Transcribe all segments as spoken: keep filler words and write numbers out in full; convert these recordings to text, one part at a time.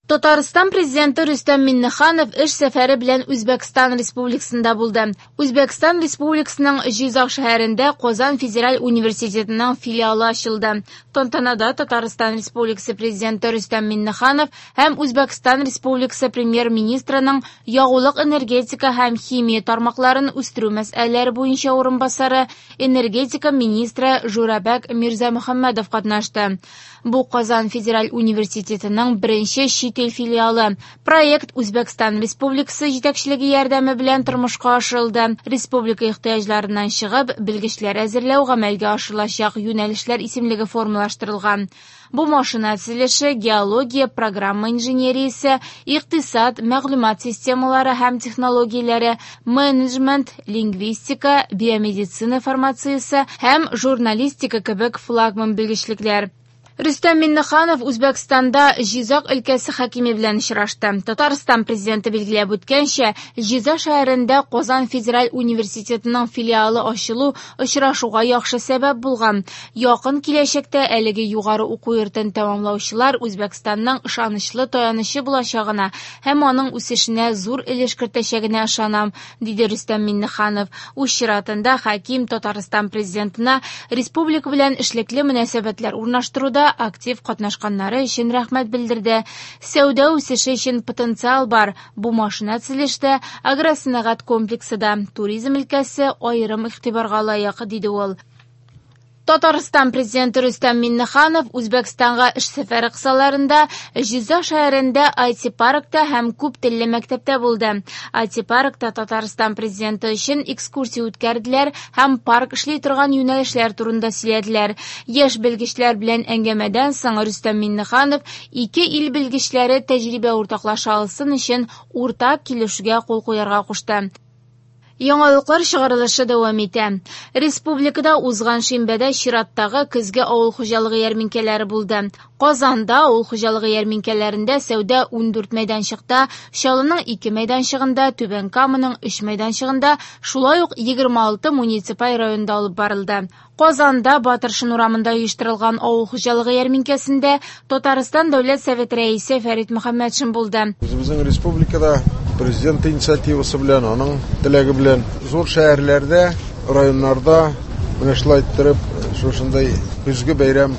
Татарстан Президенты Рөстәм Миңнеханов эш сәфәре белән Үзбәкстан Республикасында булды. Үзбәкстан Республикасының Җизак шәһәрендә Казан федераль университетының филиалы ачылды. Тантанада Татарстан Республикасы Президенты Рөстәм Миңнеханов һәм Үзбәкстан Республикасы Премьер-министрының ягулык-энергетика һәм химия тармакларын үстерү мәсьәләләре буенча урынбасары, энергетика министры Журабек Мирзамөхәммәдов катнашты. Бу Казан федераль университетының беренче чит ил филиалы. Проект Үзбәкстан Республикасы җитәкчелеге ярдәме белән тормышка ашырылды. Республика ихтыяҗларыннан чыгып, белгечләр әзерләү гамәлгә ашырылачак юнәлешләр исемлеге формалаштырылган. Бу машина төзелеше, геология, программа инженериясе, икътисад, мәгълүмат системалары һәм технологияләре, менеджмент, лингвистика, биомедицина фармациясе һәм журналистика кебек флагман белгечлекләр. Рөстәм Миңнеханов Үзбәкстанда Җизак өлкәсе хакиме белән очрашты. Татарстан президенты билгеләп үткәнчә, Җизак шәһәрендә Казан федераль университетының филиалы ачылу очрашуга яхшы сәбәп булган. Якын киләчәктә әлеге югары уку йортын тәмамлаучылар Үзбәкстанның ышанычлы таянычы булачагына һәм аның үсешенә зур өлеш кертәчәгенә ышанам, диде Рөстәм Миңнеханов. Үз чиратында хаким Татарстан президентына республика белән эшлекле мөнәсәбәтләр урнаштыруда актив катнашканнары өчен рәхмәт белдерде. Сәүдә үсеше өчен потенциал бар. Бу машина төзелештә, агросәнәгать комплексы да, туризм өлкәсе аерым игътибарга лаек, диде ул. Татарстан президенты Рөстәм Миңнеханов Үзбәкстанга эш сәфәре кысаларында Җизак шәһәрендә ай ти-паркта һәм күп телле мәктәптә булды. ай ти-паркта Татарстан президенты өчен экскурсия үткәрделәр һәм парк эшли торган юнәлешләр турында сөйләделәр. Яшь белгечләр белән әңгәмәдән соң Рөстәм Миңнеханов ике ил белгечләре тәҗрибә уртаклаша алсын өчен уртак килешүгә кул куярга кушты. Яңалыклар чыгарылышы дәвам итә. Республикада узган шимбәдә чираттагы көзге авыл хуҗалыгы ярминкәләре булды. Казанда авыл хуҗалыгы ярминкәләрендә сәүдә ундүрт мәйданчыкта, Чаллының ике мәйданчыгында, Түбән Каманың өч мәйданчыгында, шулай ук егерме алты муниципаль районда алып барылды. Казанда Батыршин урамында оештырылган авыл хуҗалыгы ярминкәсендә Татарстан Дәүләт Советы рәисе Фәрит Мөхәммәтшин булды. Үзебезнең республикада президент инициативасы белән, аның теләге белән зур шәһәрләрдә, районнарда менә шулай иттереп шушындай көзге бәйрәм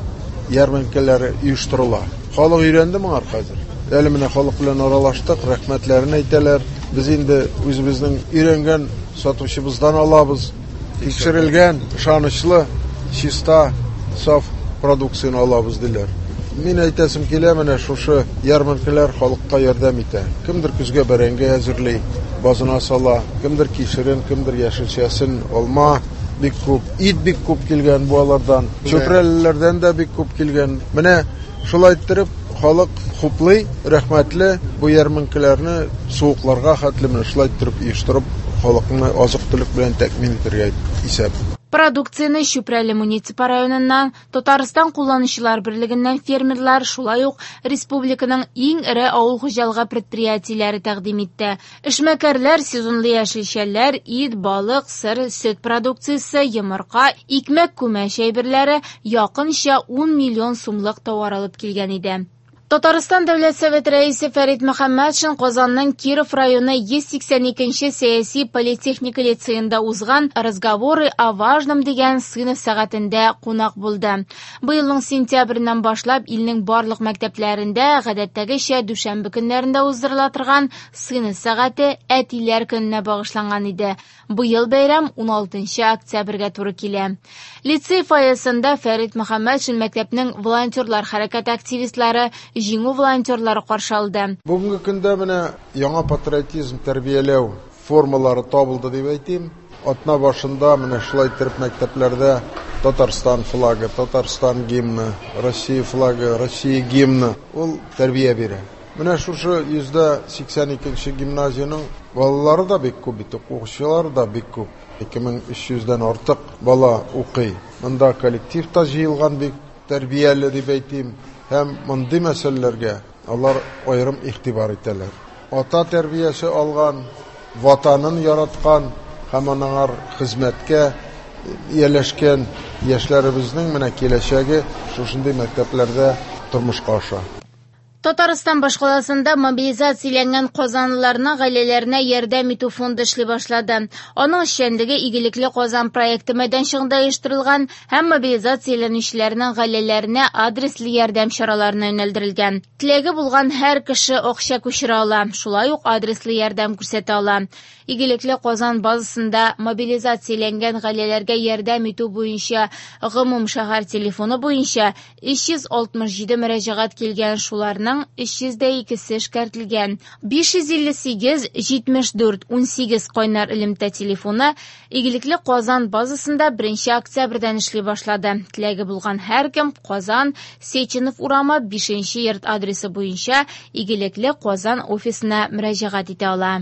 ярминкәләре оештырыла. Халык өйрәнде моңа хәзер. Әле менә халык белән аралаштык, рәхмәтләрен әйтәләр. Без инде үзебезнең өйрәнгән сатучыбыздан алабыз. Тикшерелгән, ышанычлы, чиста, саф продукцияне алабыз диләр. Мин әйтәсем килә, менә шушы ярминкәләр халыкка ярдәм итә. Кемдер көзгә бәрәңге әзерли, базына сала, кемдер кишерен, кемдер яшелчәсен, алма бик күп, ит бик күп килгән бу алардан, чүпрәлеләрдән дә бик күп килгән. Менә шулай иттереп халык хуплый, рәхмәтле бу ярминкәләрне суыкларга хәтле менә шулай иттереп оештырып халыкны азык-төлек белән тәэмин итәргә исәп. Продукцияне Чүпрәле муниципаль районыннан, Татарстан кулланучылар берлегеннән фермерлар, шулай ук республиканың иң эре авыл хуҗалыгы предприятиеләре тәкъдим итте. Эшмәкәрләр сезонлы яшелчәләр, ит, балык, сыр, сөт продукциясе, йомырка, икмәк, күмәч әйберләре якынча ун миллион сумлык товар алып килгән иде. Татарстан Дәүләт Советы рәисе Фәрит Мөхәммәтшин Казанның Киров районы йөз сиксән икенче сәяси политехника лицеенда узган «Разговоры о важном» дигән сыйныф сәгатендә кунак булды. Быелның сентябреннән башлап илнең барлык мәктәпләрендә гадәттәгечә дүшәмбе көннәрендә уздырыла торган сыйныф сәгате әтиләр көненә багышланган иде. Быел бәйрәм уналтынчы октябрьгә туры килә. Лицей фойесында Фәрит Мөхәммәтшин мәктәпнең волонтерлар хәрәкәте активистлары, Җиңү волонтерлары каршы алды. Бүгенге көндә менә яңа патриотизм тәрбияләү формалары табылды дип әйтим. Атна башында менә шулай иттереп мәктәпләрдә Татарстан флагы, Татарстан гимны, Россия флагы, Россия гимны ул тәрбия бирә. Менә шушы йөздә сиксән икенче гимназиянең балалары да бик күп бит, укучылары да бик күп. Ике мең өч йөздән артык бала укый. Монда коллектив та җыелган бик тәрбияле дип әйтим. Һәм мондый мәсьәләләргә алар аерым игътибар итәләр. Ата тәрбиясе алган, ватанын яраткан һәм анаңар хезмәткә ияләшкән яшьләребезнең менә киләчәге шушындый мәктәпләрдә тормышка аша. Татарстан башкаласында мобилизацияләнгән казанлыларның гаиләләренә ярдәм итү фонды эшли башлады. Аның эшчәнлеге «Игелекле Казан» проекты мәйданчыгында оештырылган һәм мобилизацияләнүчеләрнең гаиләләренә адреслы ярдәм чараларына юнәлдерелгән. Теләге булган һәр кеше акча күчерә ала, шулай ук адреслы ярдәм күрсәтә ала. «Игелекле Казан» базасында мобилизацияләнгән гаиләләргә ярдәм итү буенча гомум шәһәр телефоны буенча өч йөз алтмыш җиде мөрәҗәгать килгән, шуларның өч йөз дә икесе эшкәртелгән. биш йөз илле сигез, җитмеш дүрт, унсигез кайнар элемтә телефоны «Игелекле Казан» базасында беренче октябрьдән эшли башлады. Теләге булган һәркем Казан, Сеченов урамы, бишенче йорт адресы буенча «Игелекле Казан» офисына мөрәҗәгать итә ала.